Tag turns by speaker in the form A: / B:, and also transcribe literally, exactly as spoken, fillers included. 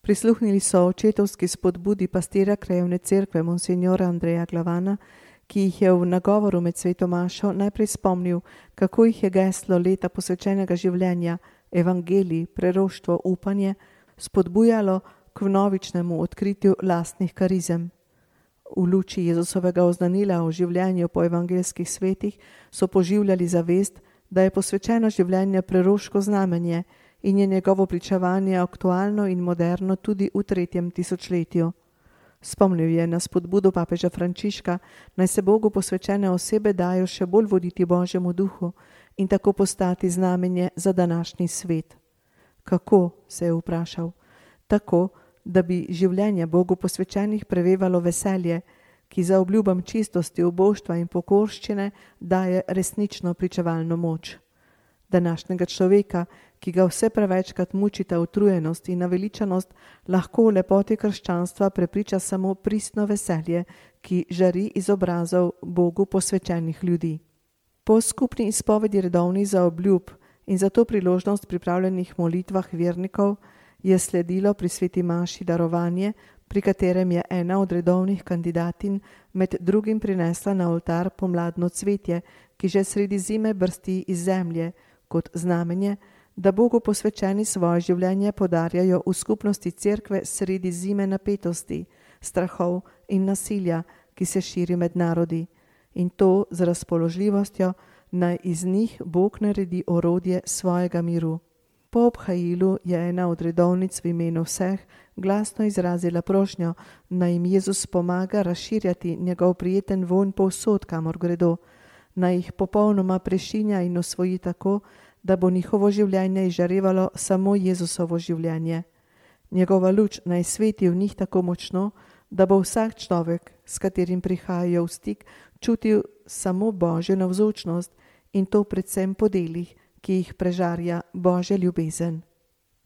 A: Prisluhnili so očetovski spodbudi pastira krajevne cerkve monsignora Andreja Glavana, ki jih je v nagovoru med sveto mašo najprej spomnil, kako jih je geslo leta posvečenega življenja, evangelij, preroštvo, upanje, spodbujalo k vnovičnemu odkritju lastnih karizem. V luči Jezusovega oznanila o življenju po evangeljskih svetih so poživljali zavest, da je posvečeno življenje preroško znamenje in je njegovo pričevanje aktualno in moderno tudi v tretjem tisočletju. Spomnil je na spodbudo papeža Frančiška, naj se Bogu posvečene osebe dajo še bolj voditi Božjemu duhu in tako postati znamenje za današnji svet. Kako, se je vprašal? Tako, da bi življenje Bogu posvečenih prevevalo veselje, ki za obljubam čistosti, uboštva in pokorščine daje resnično pričevalno moč. Današnjega človeka, ki ga vse prevečkrat mučita utrujenost in naveličanost, lahko v lepoti krščanstva prepriča samo pristno veselje, ki žari iz obrazov Bogu posvečenih ljudi. Po skupni izpovedi redovnih zaobljub in za to priložnost pripravljenih molitvah vernikov je sledilo pri sveti maši darovanje, pri katerem je ena od redovnih kandidatin med drugim prinesla na oltar pomladno cvetje, ki že sredi zime brsti iz zemlje, kot znamenje, da Bogu posvečeni svoje življenje podarjajo v skupnosti cerkve sredi zime napetosti, strahov in nasilja, ki se širi med narodi, in to z razpoložljivostjo, naj iz njih Bog naredi orodje svojega miru. Po obhajilu je ena od redovnic v imenu vseh glasno izrazila prošnjo, naj jim Jezus pomaga razširjati njegov prijeten vonj povsod, kamor gredo, naj jih popolnoma prešinja in osvoji tako, da bo njihovo življenje izžarevalo samo Jezusovo življenje. Njegova luč naj sveti v njih tako močno, da bo vsak človek, s katerim prihajajo v stik, čutil samo Božjo navzočnost in to predvsem po delih, ki jih prežarja Božja ljubezen.